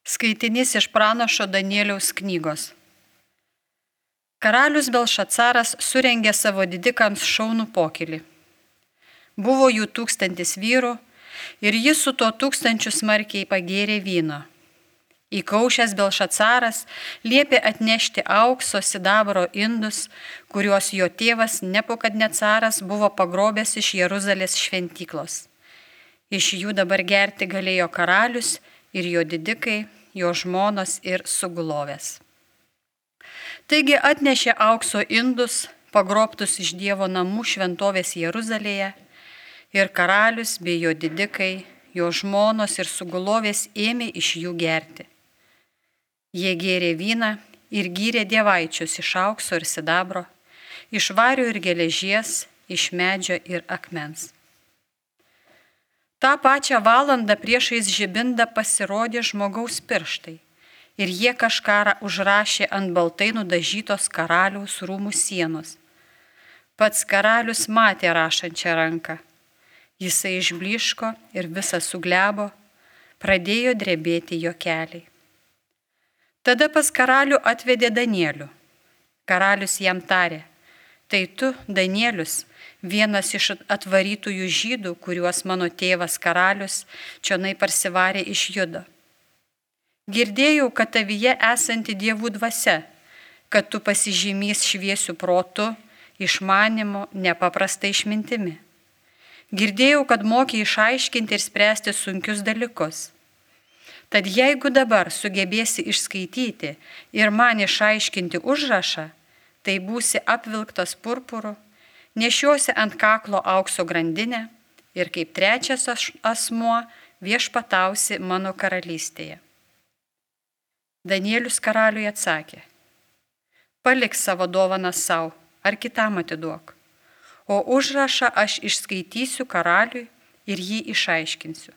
Skaitinys iš pranašo Danieliaus knygos. Karalius Belšacaras surengė savo didikams šaunų pokylį. Buvo jų 1000 vyrų ir jis su tuo 1000 smarkiai pagėrė vyno. Įkaušęs Belšacaras liepė atnešti aukso sidabro indus, kuriuos jo tėvas Nebukadnecaras buvo pagrobęs iš Jeruzalės šventyklos. Iš jų dabar gerti galėjo karalius ir jo didikai, jo žmonos ir sugulovės. Taigi atnešė aukso indus, pagrobtus iš Dievo namų šventovės Jeruzalėje, ir karalius bei jo didikai, jo žmonos ir sugulovės ėmė iš jų gerti. Jie gėrė vyną ir gyrė dievaičius iš aukso ir sidabro, iš vario ir geležies, iš medžio ir akmens. Ta pačią valandą priešais žibindą pasirodė žmogaus pirštai ir jie kažką užrašė ant baltai nudažytos karaliaus rūmų sienos. Pats karalius matė rašančią ranką. Jisai išblyško ir visas suglebo, pradėjo drebėti jo keliai. Tada pas karalių atvedė Danielių. Karalius jam tarė: tai tu, Danielius, vienas iš atvarytųjų žydų, kuriuos mano tėvas karalius čionai parsivarė iš Judo. Girdėjau, kad tavyje esanti dievų dvasia, kad tu pasižymys šviesių protu, išmanimu, nepaprastai išmintimi. Girdėjau, kad moki išaiškinti ir spręsti sunkius dalykus. Tad jeigu dabar sugebėsi išskaityti ir man išaiškinti užrašą, tai būsi apvilktas purpuru, nešiosi ant kaklo aukso grandinę ir kaip trečias asmuo viešpatausi mano karalystėje. Danielius karaliui atsakė: palik savo dovaną savo ar kitam atiduok, o užrašą aš išskaitysiu karaliui ir jį išaiškinsiu.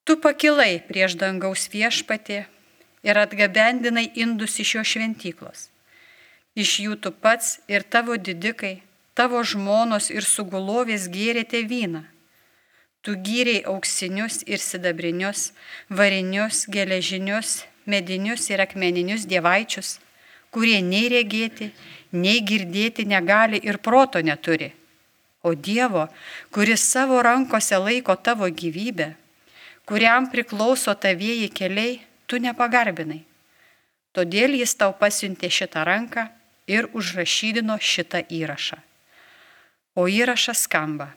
Tu pakilai prieš dangaus viešpatį ir atgabendinai indus iš jo šventyklos. Iš jų tu pats ir tavo didikai, tavo žmonos ir sugulovės gėrėte vyną. Tu gyrei auksinius ir sidabrinius, varinius, geležinius, medinius ir akmeninius dievaičius, kurie nei regėti, nei girdėti negali ir proto neturi. O Dievo, kuris savo rankose laiko tavo gyvybę, kuriam priklauso tavieji keliai, tu nepagarbinai. Todėl jis tau pasiuntė šitą ranką ir užrašydino šitą įrašą. O įrašas skamba: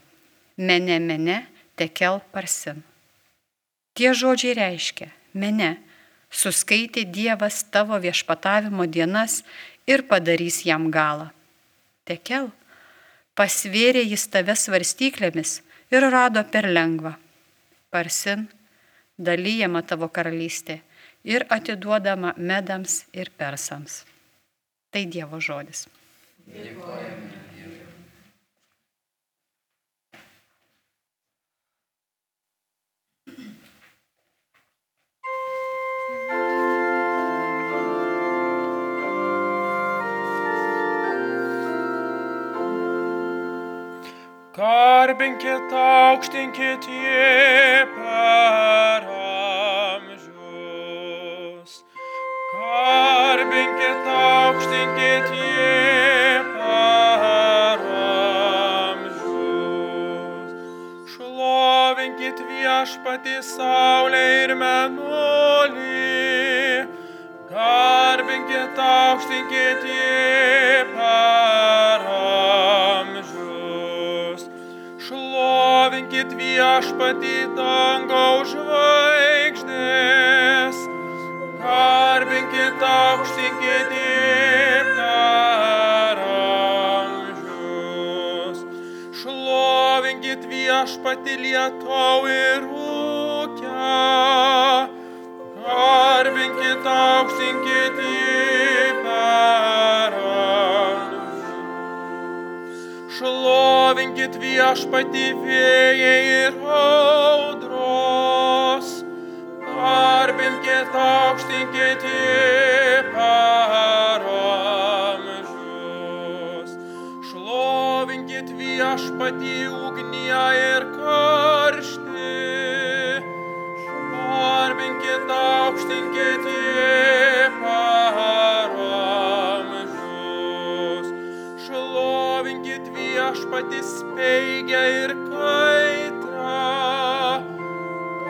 mene, mene, tekel parsin. Tie žodžiai reiškia: mene, suskaitė Dievas tavo viešpatavimo dienas ir padarys jam galą. Tekel, pasvėrė jis tave svarstyklėmis ir rado per lengva. Parsin, dalyjama tavo karalystė ir atiduodama medams ir persams. Tai Dievo žodis. Dėkojame Dievui. Garbinkit, aukštinkit jį per amžius. Garbinkit, aukštinkit jį per amžius. Šlovinkit viešpatį saulę ir mėnulį. Garbinkit, aukštinkit jį per amžius. Šlovinkit viešpatį dangaus žvaigždės. Garbinkit, aukštinkit jį per amžius. Šlovinkit viešpatį lietau ir rūkę. Garbinkit, aukštinkit jį per amžius. Šlovinkit viešpatį vėjai ir audros. Garbinkit, aukštinkit jį per amžius. Šlovinkit viešpatį ugnie ir karštį. Garbinkit, aukštinkite per amžius. Šlovinkit Viešpatį speigę ir kaitrą,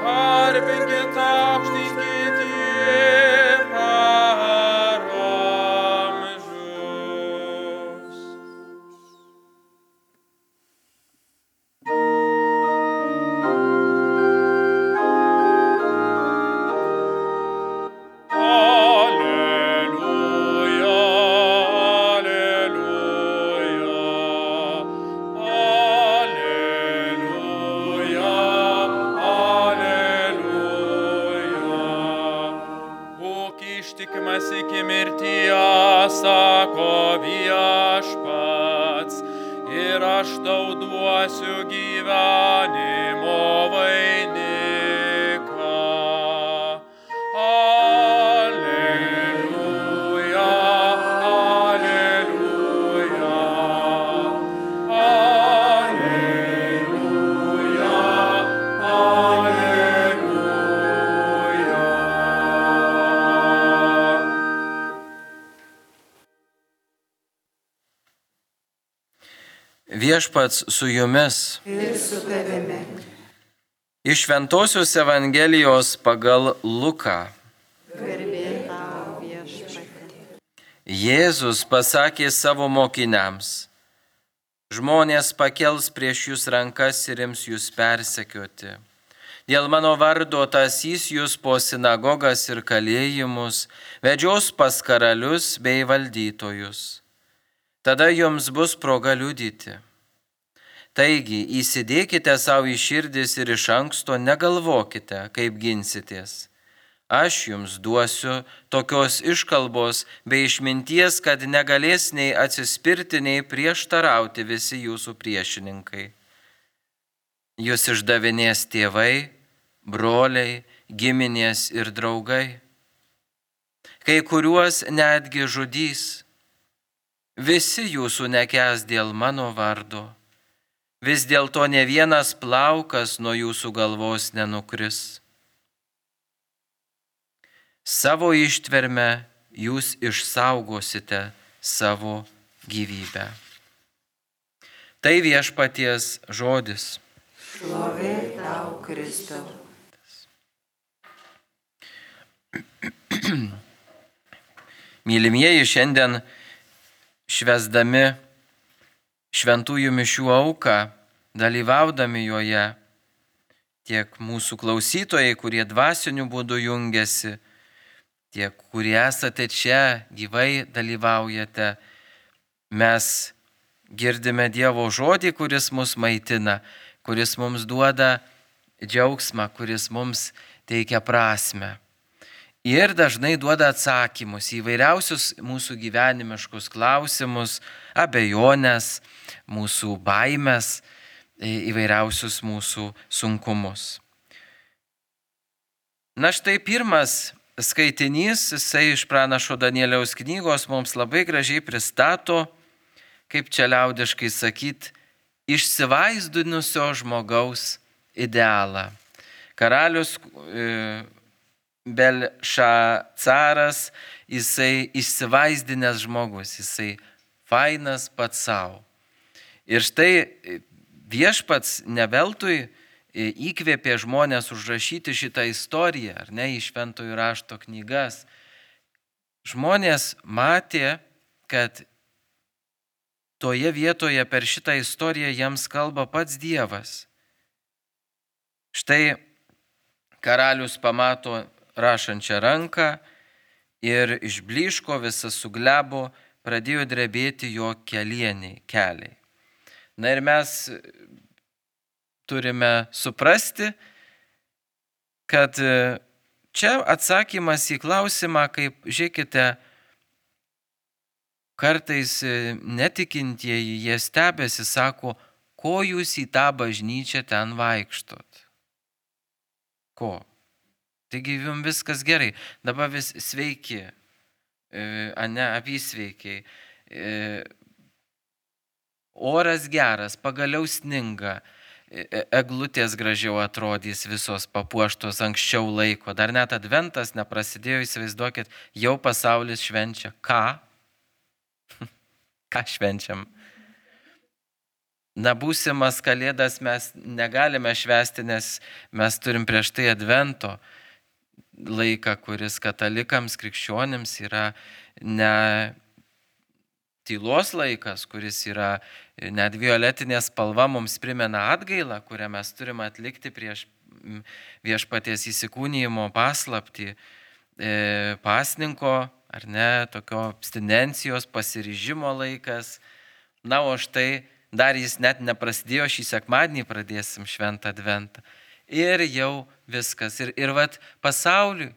garbinkit aukštinkit per amžius. Alleluja, alleluja, alleluja, alleluja. Būk ištikimas iki mirties, sako Viešpats, ir aš tau duosiu gyvenimo vainiką. Alleluja, alleluja, alleluja, alleluja. Viešpats su jumis. Ir su tavimi. Iš Šventosios Evangelijos pagal Luką. Garbė tau, Viešpatie. Jėzus pasakė savo mokiniams: žmonės pakels prieš jūs rankas ir ims jūs persekioti. Dėl mano vardo tasys jūs po sinagogas ir kalėjimus, vedžios pas karalius bei valdytojus. Tada jums bus proga liudyti. Taigi įsidėkite savo į širdis ir iš anksto negalvokite, kaip ginsitės. Aš jums duosiu tokios iškalbos bei išminties, kad negalės nei atsispirti, nei prieštarauti visi jūsų priešininkai. Jūs išdavinės tėvai, broliai, giminės ir draugai. Kai kuriuos netgi žudys. Visi jūsų nekęs dėl mano vardo. Vis dėlto ne vienas plaukas nuo jūsų galvos nenukris. Savo ištverme jūs išsaugosite savo gyvybę. Tai Viešpaties žodis. Šlovė tau, Kristau. Mylimieji, šiandien švęsdami šventųjų mišių auką, dalyvaudami joje, tiek mūsų klausytojai, kurie dvasiniu būdu jungiasi, tiek kurie esate čia, gyvai dalyvaujate, mes girdime Dievo žodį, kuris mus maitina, kuris mums duoda džiaugsmą, kuris mums teikia prasmę. Ir dažnai duoda atsakymus į įvairiausius mūsų gyvenimiškus klausimus, abejonės, mūsų baimės, įvairiausius mūsų sunkumus. Na štai pirmas skaitinys, jisai iš pranašo Danieliaus knygos mums labai gražiai pristato, kaip čia liaudiškai sakyt, išsivaizdinusio žmogaus idealą. Karalius Belšacaras, jisai išsivaizdinęs žmogus, jisai fainas pats savo. Ir štai Viešpats ne veltui įkvėpė žmonės užrašyti šitą istoriją, ar ne, į šventųjų rašto knygas. Žmonės matė, kad toje vietoje per šitą istoriją jiems kalba pats Dievas. Štai karalius pamato rašančią ranką ir išblyško, visas suglebo, pradėjo drebėti jo keliai. Na ir mes turime suprasti, kad čia atsakymas į klausimą, kaip, žiūrėkite, kartais netikintieji, jie stebėsi, sako, ko jūs į tą bažnyčią ten vaikštot? Ko? Taigi jums viskas gerai, dabar vis sveiki, ane, apysveikiai, oras geras, pagaliau sninga, eglutės gražiau atrodys visos papuoštos anksčiau laiko. Dar net adventas neprasidėjo, įsivaizduokit, jau pasaulis švenčia. Ką? Ką švenčiam? Na, būsimas kalėdas mes negalime švęsti, nes mes turim prieš tai advento laiką, kuris katalikams, krikščionims yra ne tylos laikas, kuris yra net violetinė spalva, mums primena atgailą, kurią mes turime atlikti prieš viešpaties įsikūnijimo paslaptį, pasninko, ar ne, tokio abstinencijos, pasiryžimo laikas. Na, o štai dar jis net neprasidėjo, šį sekmadienį pradėsim šventą adventą. Ir jau viskas. Ir vat pasauliui,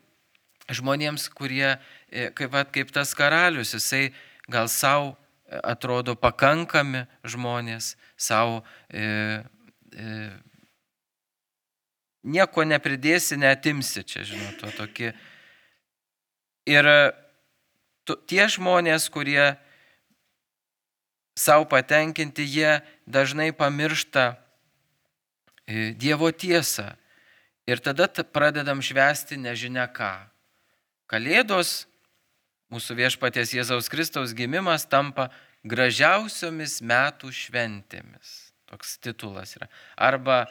žmonėms, kurie, kaip tas karalius, jisai gal savo atrodo pakankami žmonės, savo nieko nepridėsi, neatimsi čia, žinot, to tokie. Ir tie žmonės, kurie savo patenkinti, jie dažnai pamiršta Dievo tiesą. Ir tada pradedam švęsti nežinia ką. Kalėdos, mūsų viešpaties Jėzaus Kristaus gimimas tampa gražiausiomis metų šventėmis. Toks titulas yra. Arba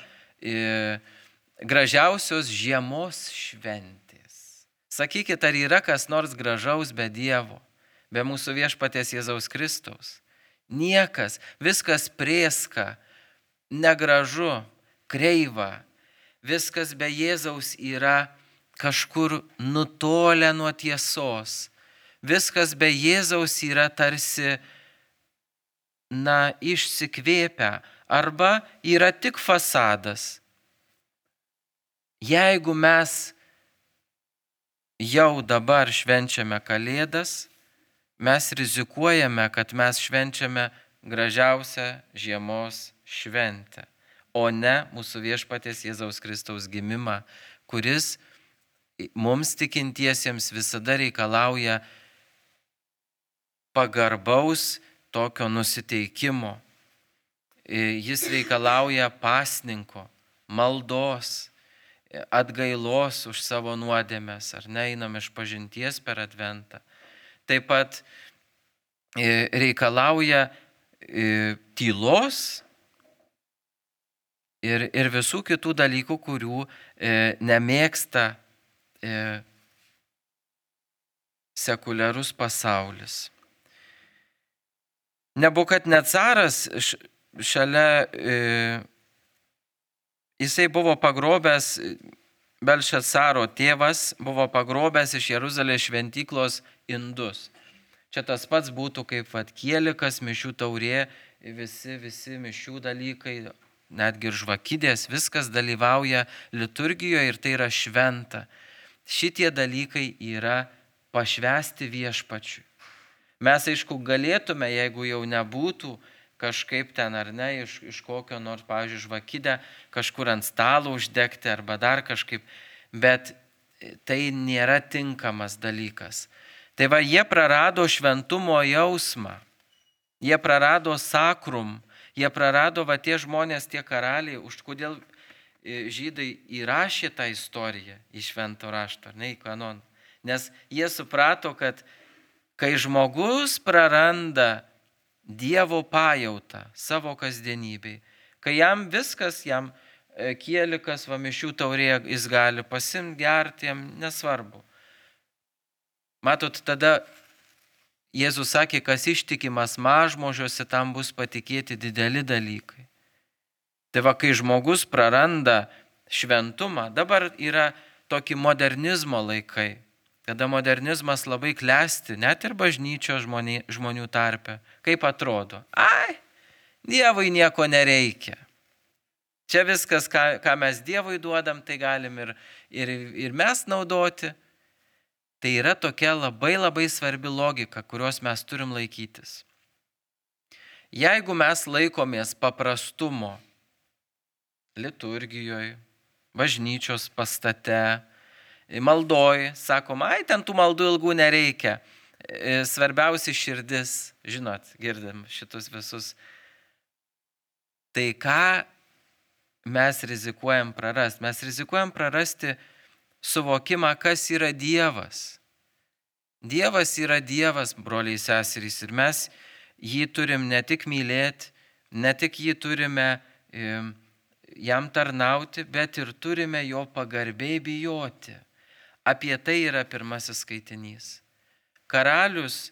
gražiausios žiemos šventės. Sakykit, ar yra kas nors gražaus be Dievo, be mūsų viešpaties Jėzaus Kristaus? Niekas, viskas prėska, negražu, kreiva, viskas be Jėzaus yra kažkur nutolę nuo tiesos. Viskas be Jėzaus yra tarsi, išsikvėpę arba yra tik fasadas. Jeigu mes jau dabar švenčiame Kalėdas, mes rizikuojame, kad mes švenčiame gražiausią žiemos šventę, o ne mūsų viešpaties Jėzaus Kristaus gimimą, kuris mums tikintiesiems visada reikalauja pagarbaus tokio nusiteikimo. Jis reikalauja pasninko, maldos, atgailos už savo nuodėmes, ar ne, einam iš pažinties per adventą. Taip pat reikalauja tylos ir visų kitų dalykų, kurių nemėgsta sekuliarus pasaulis. Nebukadnecaras šalia, jisai buvo pagrobęs, Belšacaro tėvas buvo pagrobęs iš Jeruzalės šventyklos indus. Čia tas pats būtų kaip kielikas, mišių taurė, visi mišių dalykai, netgi ir žvakidės, viskas dalyvauja liturgijoje ir tai yra šventa. Šitie dalykai yra pašvęsti viešpačiui. Mes, aišku, galėtume, jeigu jau nebūtų kažkaip ten ar ne, iš kokio nors, pavyzdžiui, žvakidę kažkur ant stalo uždegti arba dar kažkaip, bet tai nėra tinkamas dalykas. Tai va, jie prarado šventumo jausmą, jie prarado sakrum, jie prarado tie žmonės, tie karaliai, už kodėl žydai įrašė tą istoriją į švento rašto, ne į kanoną. Nes jie suprato, kad kai žmogus praranda Dievo pajautą savo kasdienybei, kai jam viskas, jam kielikas, mišių taurė, jis gali pasimti, gerti, jam nesvarbu. Matot, tada Jėzus sakė, kas ištikimas mažmožiuose, tam bus patikėti dideli dalykai. Tai va, kai žmogus praranda šventumą, dabar yra tokie modernizmo laikai, kada modernizmas labai klesti, net ir bažnyčios žmonių tarpe. Kaip atrodo? Dievui nieko nereikia. Čia viskas, ką mes Dievui duodam, tai galim ir mes naudoti. Tai yra tokia labai labai svarbi logika, kurios mes turim laikytis. Jeigu mes laikomės paprastumo liturgijoje, bažnyčios pastate, maldoj, sakom, ten tų maldų ilgų nereikia. Svarbiausia širdis, žinot, girdim šitus visus. Tai ką mes rizikuojam prarasti? Mes rizikuojam prarasti suvokimą, kas yra Dievas. Dievas yra Dievas, broliai seserys, ir mes jį turim ne tik mylėti, ne tik jį turime jam tarnauti, bet ir turime jo pagarbiai bijoti. Apie tai yra pirmasis skaitinys. Karalius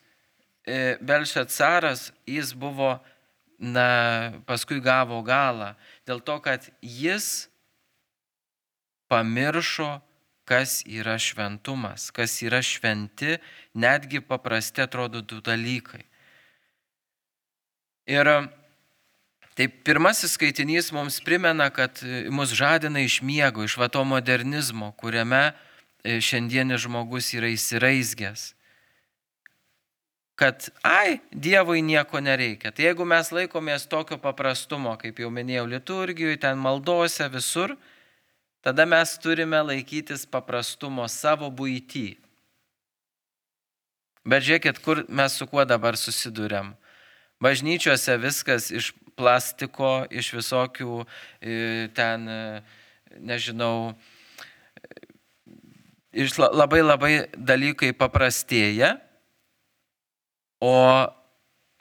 Belšacaras, jis buvo, paskui gavo galą, dėl to, kad jis pamiršo, kas yra šventumas, kas yra šventi, netgi paprasti atrodo du dalykai. Ir tai pirmasis skaitinys mums primena, kad mus žadina iš miego, iš to modernizmo, kuriame šiandienis žmogus yra įsiraizgęs. Kad, Dievui nieko nereikia. Tai jeigu mes laikomės tokio paprastumo, kaip jau minėjau, liturgijoje, ten maldose, visur, tada mes turime laikytis paprastumo savo buity. Bet žiūrėkit, kur mes su kuo dabar susiduriam. Bažnyčiose viskas iš plastiko, iš visokių ten, nežinau, iš labai dalykai paprastėja, o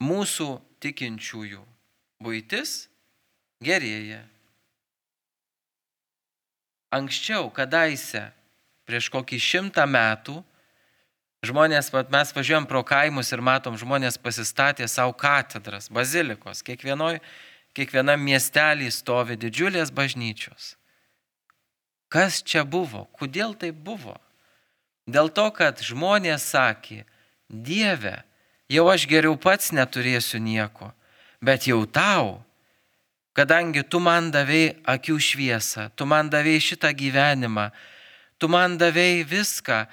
mūsų tikinčiųjų buitis gerėja. Anksčiau, kadaise, prieš kokį 100 metų, žmonės, mes važiuojam pro kaimus ir matom, žmonės pasistatė savo katedras, bazilikos. Kiekvienam miestelį stovi didžiulės bažnyčios. Kas čia buvo? Kodėl tai buvo? Dėl to, kad žmonės sakė, Dieve, jau aš geriau pats neturėsiu nieko, bet jau tau, kadangi tu man davei akių šviesą, tu man davei šitą gyvenimą, tu man davei viską.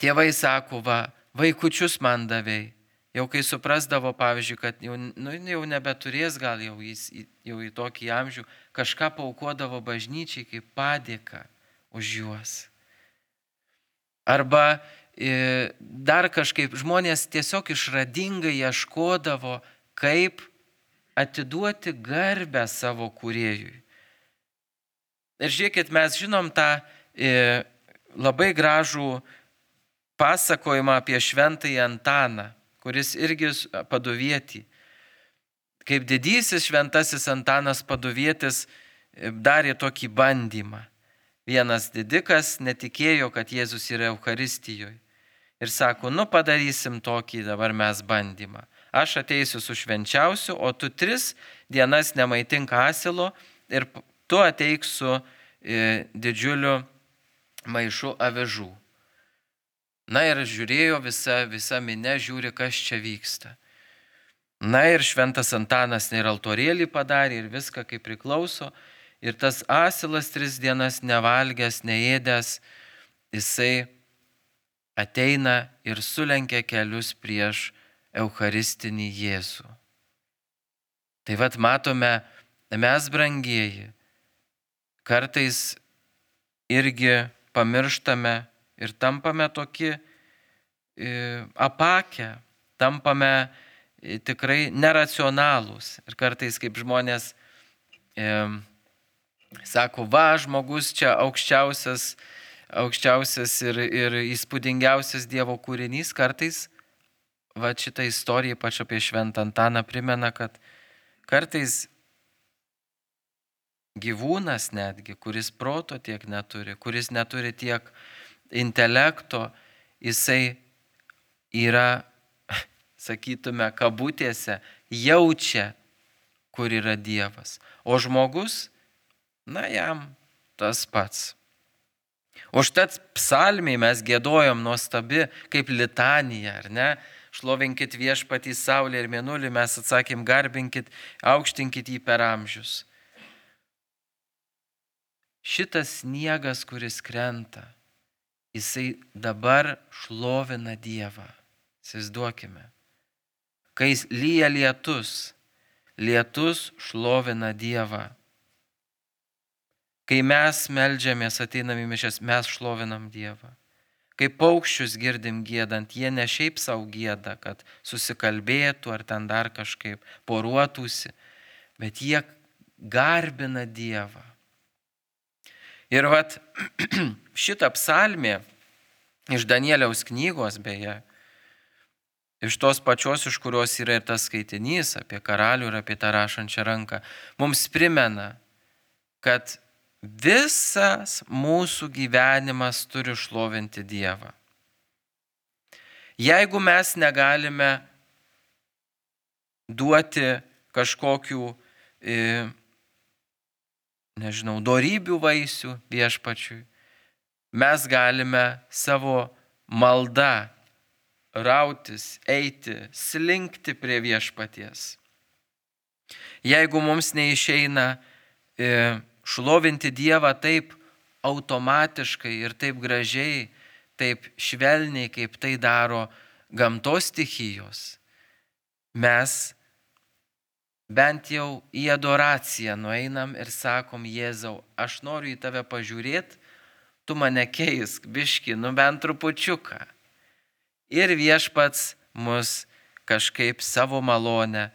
Tėvai sako, vaikučius man davei. Jau kai suprasdavo, pavyzdžiui, kad jau nebeturės gal jau į tokį amžių, kažką paaukodavo bažnyčiai kaip padėką už juos. Arba dar kažkaip žmonės tiesiog išradingai ieškodavo, kaip atiduoti garbę savo kūrėjui. Ir žiūrėkit, mes žinom tą labai gražų pasakojimą apie šventąjį Antaną, kuris irgi paduvietį. Kaip didysis šventasis Antanas paduvietis darė tokį bandymą. Vienas didikas netikėjo, kad Jėzus yra Eucharistijoje. Ir sako, padarysim tokį dabar mes bandymą. Aš ateisiu su švenčiausiu, o tu 3 dienas nemaitink asilo ir tu ateik su didžiuliu maišu avižų. Ir žiūrėjo visa minia, žiūri, kas čia vyksta. Ir šventas Antanas ir altorėlį padarė ir viską kaip priklauso. Ir tas asilas 3 dienas nevalgęs, neėdęs, jisai ateina ir sulenkia kelius prieš Eucharistinį Jėzų. Tai matome, mes brangieji, kartais irgi pamirštame ir tampame tokie apakę, tampame tikrai neracionalūs. Ir kartais kaip žmonės sako, žmogus čia aukščiausias ir įspūdingiausias Dievo kūrinys, kartais šitą istoriją, ypač apie šventą Antaną, primena, kad kartais gyvūnas netgi, kuris proto tiek neturi, kuris neturi tiek intelekto, jisai yra, sakytume, kabutėse, jaučia, kur yra Dievas. O žmogus, jam tas pats. Užtat psalmiai mes giedojom nuostabi kaip litanija, ar ne? Šlovinkit viešpatį saulę ir mėnulį, mes atsakėm, garbinkit, aukštinkit jį per amžius. Šitas sniegas, kuris krenta, jisai dabar šlovina Dievą. Įsivaizduokime. Kai lyja lietus šlovina Dievą. Kai mes meldžiamės, ateinam į mišias, mes šlovinam Dievą. Kai paukščius girdim giedant, jie ne šiaip savo gieda, kad susikalbėtų ar ten dar kažkaip poruotųsi, bet jie garbina Dievą. Ir vat šitą psalmę iš Danieliaus knygos, beje, iš tos pačios, iš kurios yra ir tas skaitinys apie karalių ir apie tą rašančią ranką, mums primena, kad visas mūsų gyvenimas turi šlovinti Dievą. Jeigu mes negalime duoti kažkokių, dorybių vaisių viešpačiui, mes galime savo maldą rautis, eiti, slinkti prie viešpaties. Jeigu mums neišeina šlovinti Dievą taip automatiškai ir taip gražiai, taip švelniai, kaip tai daro gamtos stichijos, mes bent jau į adoraciją nueinam ir sakom: Jėzau, aš noriu į tave pažiūrėti, tu mane keisk, biški, bent trupučiuką. Ir viešpats mus kažkaip savo malonę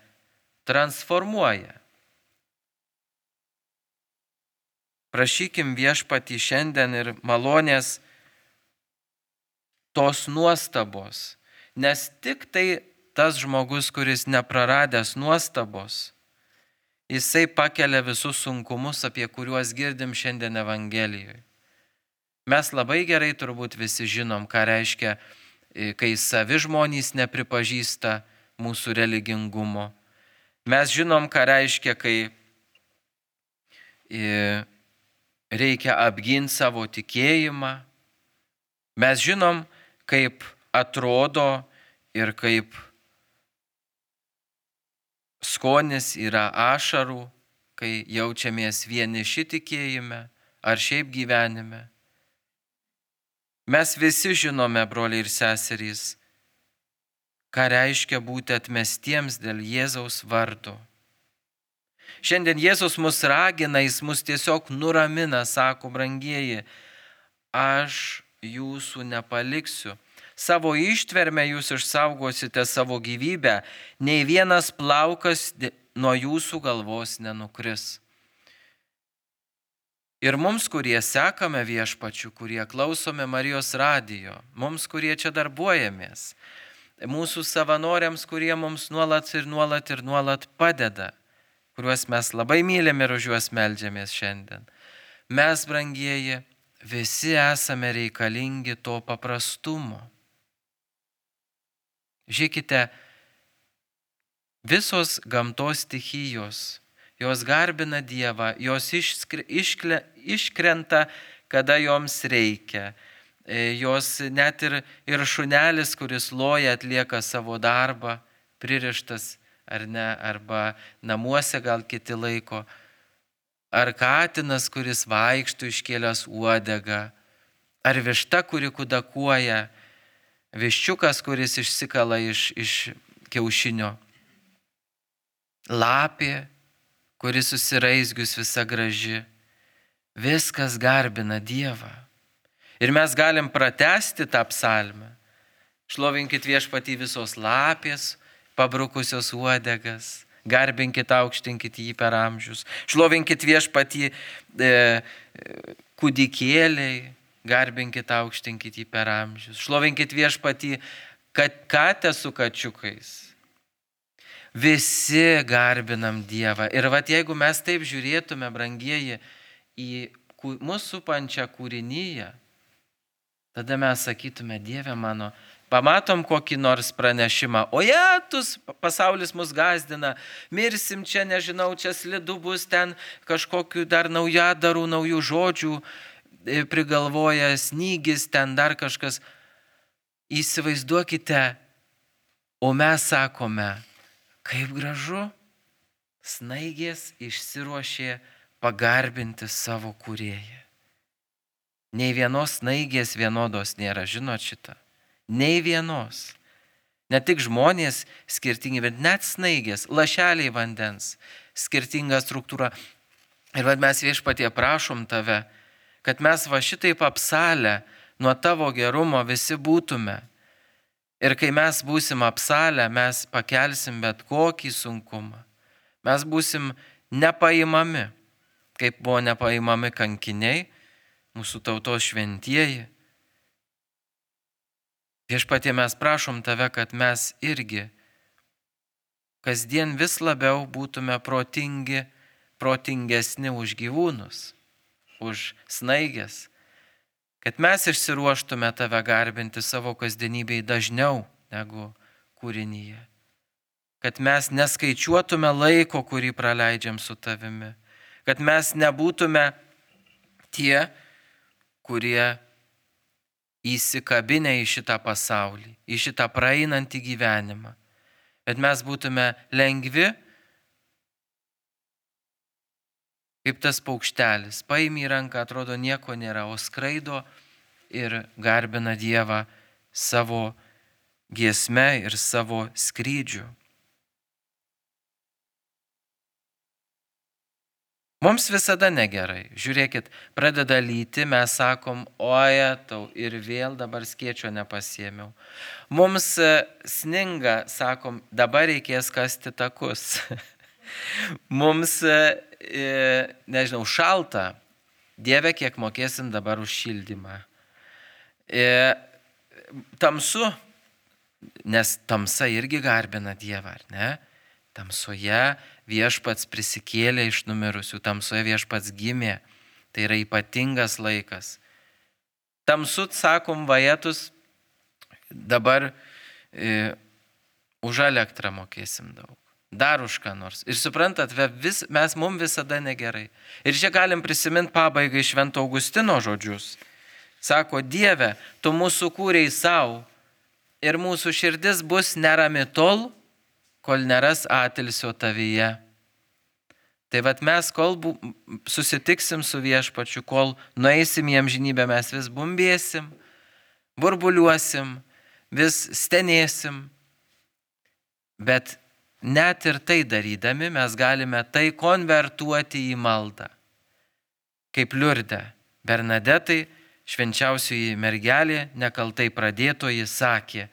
transformuoja. Prašykim viešpatį šiandien ir malonės tos nuostabos, nes tik tai tas žmogus, kuris nepraradęs nuostabos, jisai pakelia visus sunkumus, apie kuriuos girdim šiandien Evangelijoje. Mes labai gerai turbūt visi žinom, ką reiškia, kai savi žmonės nepripažįsta mūsų religingumo. Mes žinom, ką reiškia, kai reikia apginti savo tikėjimą. Mes žinom, kaip atrodo ir kaip skonis yra ašarų, kai jaučiamės vieniši tikėjime ar šiaip gyvenime. Mes visi žinome, broliai ir seserys, ką reiškia būti atmestiems dėl Jėzaus vardo. Šiandien Jėzus mus ragina, jis mus tiesiog nuramina, sako: brangieji, aš jūsų nepaliksiu. Savo ištvermę jūs išsaugosite savo gyvybę, nei vienas plaukas nuo jūsų galvos nenukris. Ir mums, kurie sekame viešpačiu, kurie klausome Marijos radijo, mums, kurie čia darbuojamės, mūsų savanoriams, kurie mums nuolat padeda, kuriuos mes labai mylim ir už juos meldžiamės šiandien. Mes, brangieji, visi esame reikalingi to paprastumo. Žiūrėkite, visos gamtos stichijos, jos garbina Dievą, jos iškrenta, kada joms reikia. Jos net ir šunelis, kuris loja, atlieka savo darbą, pririštas ar ne, arba namuose gal kiti laiko. Ar katinas, kuris vaikšto iškėlęs uodegą, ar višta, kuri kudakuoja, viščiukas, kuris išsikala iš kiaušinio, lapė, kuris susiraizgius visa graži. Viskas garbina Dievą. Ir mes galim pratęsti tą psalmę. Šlovinkit viešpatį visos lapės, pabrukusios uodegas, garbinkit, aukštinkit jį per amžius. Šlovinkit viešpatį kūdikėliai, garbinkit, aukštinkit jį per amžius. Šlovinkit viešpatį katę su kačiukais. Visi garbinam Dievą. Ir jeigu mes taip žiūrėtume, brangieji, į mūsų supančią kūrinyje, tada mes sakytume: Dieve mano, pamatom kokį nors pranešimą: o jetus, pasaulis mus gazdina, mirsim čia, nežinau, čia slidu bus, ten kažkokių dar naujadarų, naujų žodžių prigalvoja, snygis, ten dar kažkas. Įsivaizduokite, o mes sakome: kaip gražu, snaigės išsiruošė pagarbinti savo kūrėją. Nei vienos snaigės vienodos nėra, žinot šitą? Nei vienos. Ne tik žmonės skirtingi, bet net snaigės, lašeliai vandens, skirtinga struktūra. Ir mes viešpatie prašom tave, kad mes šitaip apsalę nuo tavo gerumo visi būtume. Ir kai mes būsim apsalę, mes pakelsim bet kokį sunkumą. Mes būsim nepaimami, kaip buvo nepaimami kankiniai, mūsų tautos šventieji. Viešpatie, mes prašom tave, kad mes irgi kasdien vis labiau būtume protingesni už gyvūnus, už snaigės, kad mes išsiruoštume tave garbinti savo kasdienybėj dažniau negu kūrinyje, kad mes neskaičiuotume laiko, kurį praleidžiam su tavimi, kad mes nebūtume tie, kurie įsikabinę į šitą pasaulį, į šitą praeinantį gyvenimą, bet mes būtume lengvi, kaip tas paukštelis, paimi į ranką, atrodo nieko nėra, o skraido ir garbina Dievą savo giesme ir savo skrydžiu. Mums visada negerai. Žiūrėkit, pradeda lyti, mes sakom, oje, tau ir vėl dabar skėčio nepasiėmiau. Mums sninga, sakom, dabar reikės kasti takus. Mums, nežinau, šalta, Dieve, kiek mokėsim dabar už šildymą. Tamsu, nes tamsa irgi garbina Dievą, ar ne? Tamsoje Viešpats prisikėlė iš numirusių, tamsoje Viešpats gimė, tai yra ypatingas laikas. Tamsu, sakom, vajetus, dabar už elektrą mokėsim daug, dar už ką nors. Ir suprantat, mums visada negerai. Ir čia galim prisiminti pabaigai Švento Augustino žodžius. Sako, Dieve, tu mūsų kūrei savo ir mūsų širdis bus nerami tol, kol neras atilsio tavyje. Tai vat mes, kol susitiksim su Viešpačiu, kol nueisim į amžinybę, mes vis bumbėsim, burbuliuosim, vis stenėsim. Bet net ir tai darydami, mes galime tai konvertuoti į maldą. Kaip Liurde, Bernadetai, švenčiausioji mergelė, nekaltai pradėtoji, sakė,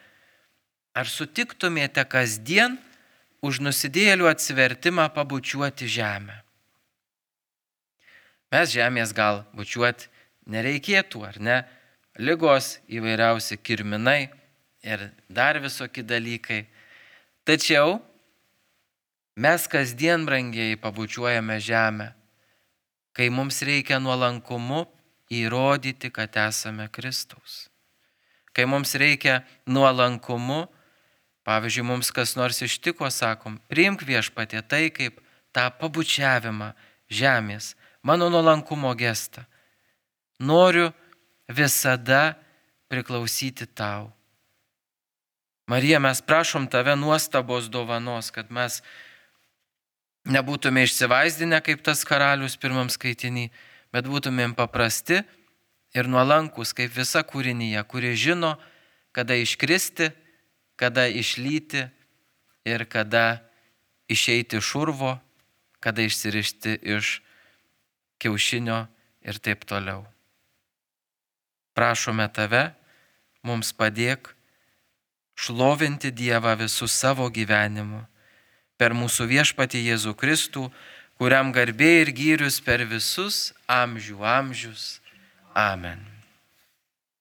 ar sutiktumėte kasdien už nusidėjėlių atsivertimą pabučiuoti žemę? Mes žemės gal bučiuoti nereikėtų, ar ne? Ligos, įvairiausi kirminai ir dar visokie dalykai. Tačiau mes kasdien, brangiai, pabučiuojame žemę, kai mums reikia nuolankumu įrodyti, kad esame Kristaus. Kai mums reikia nuolankumu, pavyzdžiui, mums kas nors ištiko, sakom, priimk Viešpatie tai kaip tą pabučiavimą žemės, mano nuolankumo gestą. Noriu visada priklausyti tau. Marija, mes prašom tave nuostabos dovanos, kad mes nebūtume išsivaizdinę kaip tas karalius pirmam skaitinį, bet būtumėm paprasti ir nuolankus kaip visa kūrinyje, kuri žino, kada iškristi, kada išlyti ir kada išeiti iš urvo, kada išsirišti iš kiaušinio ir taip toliau. Prašome tave, mums padėk šlovinti Dievą visų savo gyvenimu per mūsų Viešpatį Jėzų Kristų, kuriam garbė ir gyrius per visus amžių amžius. Amen.